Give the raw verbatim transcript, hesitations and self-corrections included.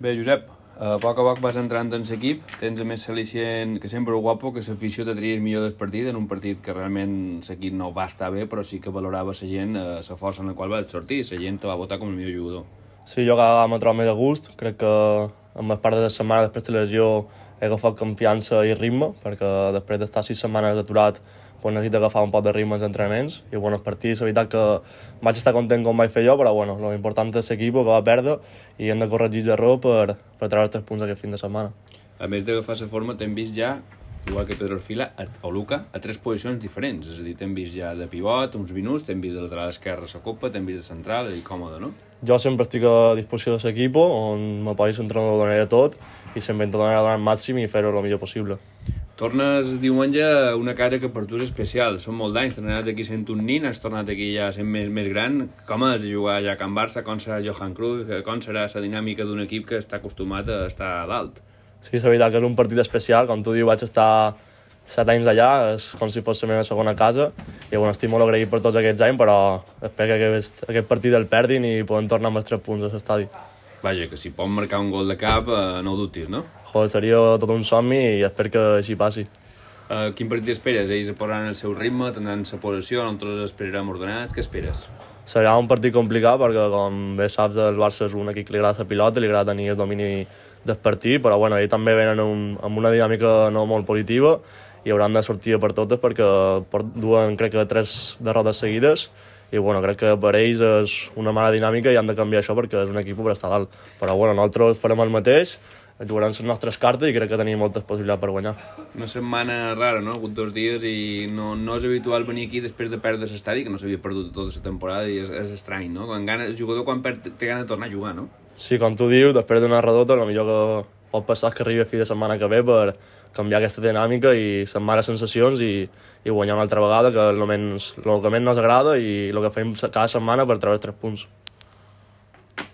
Bé, Josep, a poc a poc vas entrant en l'equip, tens a més l'al·licient que sempre guapo, que l'afició te tria el millor del partit, en un partit que realment l'equip no va estar bé, però sí que valorava la gent, eh, la força en la qual vas sortir, la gent te va votar com el millor jugador. Sí, jo cada vegada m'he trobat més a gust, crec que en les part de la setmana després de la lesió he agafat confiança i ritme, perquè després d'estar sis setmanes aturat pues necessito agafar un poc de ritme als entrenaments i bueno, els partits, la veritat que vaig estar content com vaig fer jo, però bueno, l'important és l'equip que va perdre i hem de corregir l'error per, per treure els tres punts aquest fin de setmana. A més d'agafar la forma, t'hem vist ja, igual que Pedro Orfila o Luca, a tres posicions diferents, és a dir, t'hem vist ja de pivot, uns minuts, t'hem vist de lateral esquerre a la copa, t'hem vist de central, i còmode, no? Jo sempre estic a disposició de l'equip, on me posis entrenador ho donaré tot i sempre intentaré donar el màxim i fer-ho el millor possible. Tornes diumenge a una casa que per tu és especial. Són molt d'anys, t'has aquí sent un nin, has tornat aquí ja sent més, més gran. Com has de jugar ja a Can Barça? Com serà Johan Cruyff? Com serà la dinàmica d'un equip que està acostumat a estar a dalt? Sí, és veritat que és un partit especial. Com tu dius, vaig estar set anys allà, és com si fos la meva segona casa. I bueno, estic molt agraït per tots aquests anys, però espero que aquest, aquest partit el perdin i podem tornar amb els tres punts a l'estadi. Vaja, que si pot marcar un gol de cap, eh, no ho dubtis, no? Joder, seria tot un somni i espero que així passi. Uh, quin partit esperes? Ells posaran el seu ritme, tindran la posició, nosaltres esperarem ordenats. Què esperes? Serà un partit complicat perquè, com bé saps, el Barça és un equip que li agrada la pilota, li agrada tenir el domini del partit, però bueno, ells també venen un, amb una dinàmica no molt positiva i hauran de sortir per totes perquè duen, crec que, tres derrotes seguides i bueno, crec que per ells és una mala dinàmica i han de canviar això perquè és un equip per estar dalt. Però bueno, nosaltres farem el mateix, jugarem les nostres cartes i crec que tenim moltes possibilitats per guanyar. Una setmana rara, no? Ha hagut dos dies i no, no és habitual venir aquí després de perdre l'estadi, que no s'havia perdut tota la temporada i és, és estrany, no? Quan gana, el jugador quan perd té gana de tornar a jugar, no? Sí, com tu dius, després d'una redota, el millor que pot passar és que arribi a fi de setmana que ve per canviar aquesta dinàmica i setmanes sensacions i, i guanyar una altra vegada, que és el, menys, el que menys ens agrada i el que fem cada setmana per treure els tres punts.